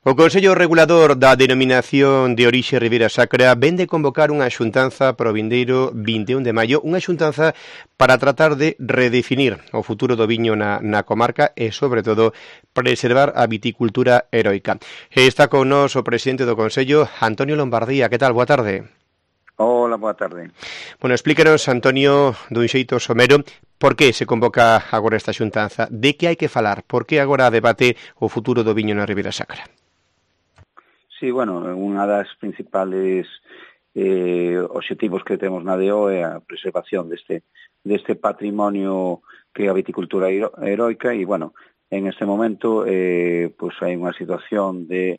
O Consello Regulador da Denominación de Orixe Ribeira Sacra vén de convocar unha xuntanza para o vindeiro 21 de maio, unha xuntanza para tratar de redefinir o futuro do viño na comarca e, sobre todo, preservar a viticultura heroica. E está con nós o presidente do Consello, Antonio Lombardía. Que tal? Boa tarde. Hola, boa tarde. Bueno, explícanos, Antonio, dun xeito somero, por que se convoca agora esta xuntanza? De que hai que falar? Por que agora debate o futuro do viño na Ribeira Sacra? Sí, bueno, unha das principales obxectivos que temos na DO é a preservación deste patrimonio que é a viticultura heroica e, bueno, en este momento pues hai unha situación de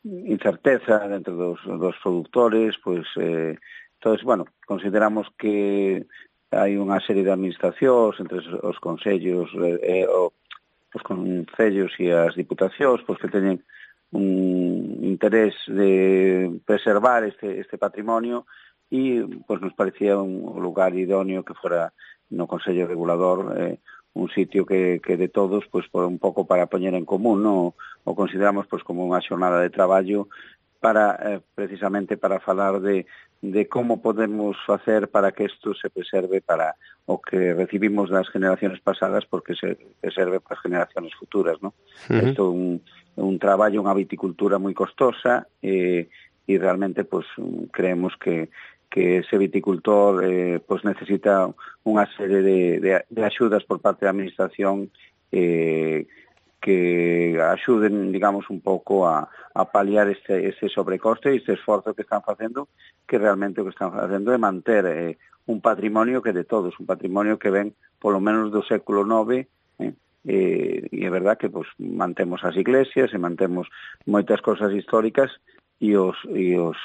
incerteza dentro dos produtores, pues entonces, bueno, consideramos que hai unha serie de administracións entre os concellos os concellos e as diputacións, pues que teñen un interés de preservar este patrimonio e pues nos parecía un lugar idóneo que fuera no Consello Regulador un sitio que de todos pues por un pouco para poñer en común, ¿no? O consideramos pues como unha xornada de traballo para precisamente para falar de como podemos facer para que isto se preserve para o que recibimos das generaciones pasadas porque se preserve para as generaciones futuras, ¿no? Isto é un traballo, unha viticultura moi costosa e realmente pues creemos que ese viticultor pues necesita unha serie de axudas por parte da administración que axuden, digamos, un pouco a paliar ese sobrecoste e este esforzo que están facendo, que realmente o que están facendo é manter un patrimonio que de todos, un patrimonio que ven polo menos do século IX, e é verdad que pues, mantemos as iglesias e mantemos moitas cosas históricas e os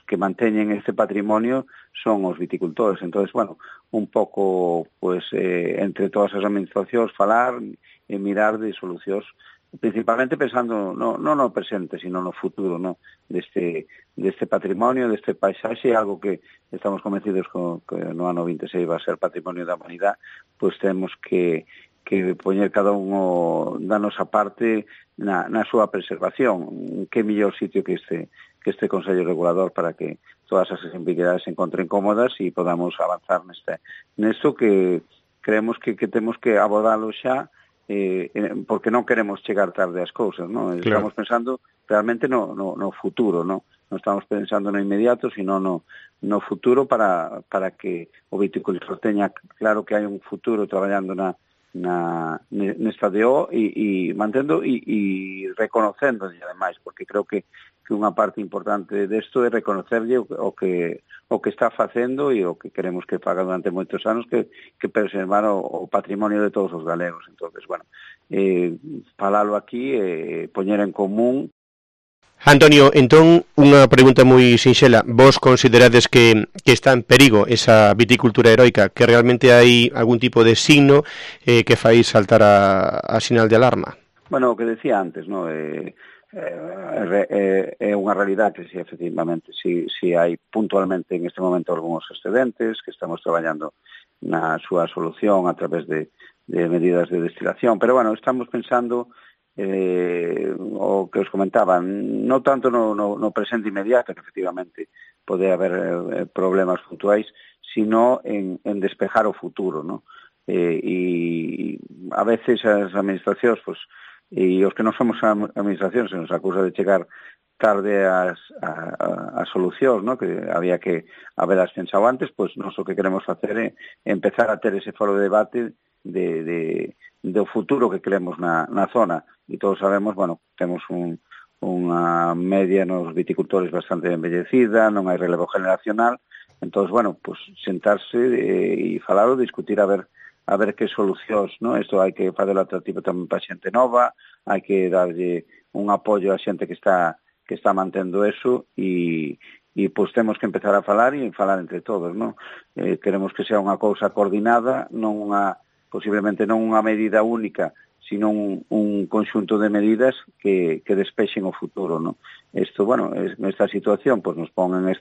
que manteñen este patrimonio son os viticultores. Entonces, bueno, un pouco pues, entre todas as administracións falar e mirar de solucións principalmente pensando non no presente, sino no futuro, ¿no? deste patrimonio, deste paisaxe, algo que estamos convencidos que no ano 26 va a ser patrimonio da humanidade, pues temos que poñer cada uno da nosa parte na súa preservación. Que mellor sitio que este Consello Regulador para que todas as ambigüidades se encontren cómodas e podamos avanzar nesto que creemos que temos que abordalo xa porque non queremos chegar tarde ás cousas, ¿no? Claro. Estamos pensando realmente no futuro, ¿no? Non estamos pensando no inmediato, sino no futuro para que o viticultor teña claro que hai un futuro traballando nesta DO e mantendo e reconocendo ademais, porque creo que unha parte importante desto é reconocerlle o que está facendo e o que queremos que faga durante moitos anos que preservar o patrimonio de todos os galegos. Entonces, bueno, falalo aquí poñer en común. Antonio, entón, unha pregunta moi sinxela. Vos considerades que está en perigo esa viticultura heroica, que realmente hai algún tipo de signo que fai saltar a sinal de alarma? Bueno, o que decía antes, ¿no? É unha realidade que, efectivamente, si hai puntualmente en este momento algúns excedentes, que estamos traballando na súa solución a través de medidas de destilación, pero, bueno, estamos pensando o que os comentaba, non tanto no presente inmediato, que efectivamente pode haber problemas puntuais, sino en despejar o futuro, ¿no? E a veces as administracións, pues, e os que non somos administracións se nos acusa de chegar tarde as solucións, ¿no? Que había que habelas pensado antes, pues nós o que queremos facer é empezar a ter ese foro de debate do futuro que queremos na zona. E todos sabemos, bueno, temos unha media nos viticultores bastante envellecida, non hai relevo generacional, entón, bueno, pues sentarse e falalo, discutir a ver que solucións, ¿no? Isto hai que facelo atractivo tamén para xente nova, hai que darlle un apoio a xente que está mantendo eso e pois temos que empezar a falar e falar entre todos, ¿no? Queremos que sea unha cousa coordinada, posiblemente non unha medida única, sino un conxunto de medidas que despexen o futuro, ¿no? Isto, bueno, esta situación pues nos pon en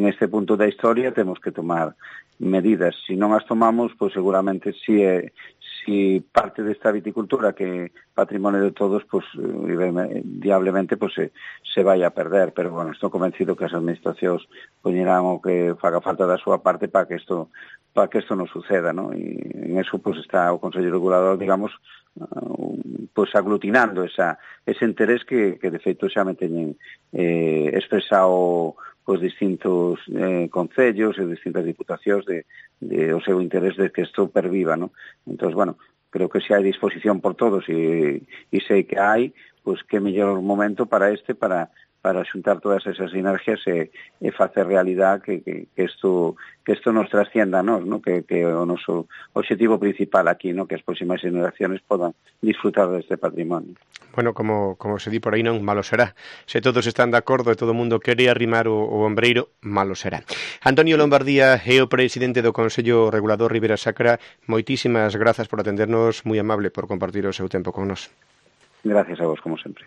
este punto da historia, temos que tomar medidas. Se non as tomamos, pues seguramente si parte desta viticultura que patrimonio de todos, pues diablemente pues se vai a perder, pero bueno, estou convencido que as administracións poñerán o que faga falta da súa parte para que isto non suceda, ¿no? E en eso pues está o Consello Regulador, digamos, pues aglutinando ese interés que de feito xa me teñen expresado pues distintos concellos e distintas diputacións de o seu interés de que isto perviva, ¿no? Entón, bueno, creo que se hai disposición por todos e sei que hai, pues que mellor momento para xuntar todas esas sinergias e facer realidad que isto nos trascienda a nós, ¿no? Que o noso objetivo principal aquí, ¿no? Que as próximas generaciones podan disfrutar deste patrimonio. Bueno, como se di por aí, non, malo será. Se todos están de acordo e todo o mundo quere arrimar o ombreiro, malo será. Antonio Lombardía é o presidente do Consello Regulador Ribera Sacra. Moitísimas grazas por atendernos, moi amable por compartir o seu tempo con nós. Gracias a vos, como sempre.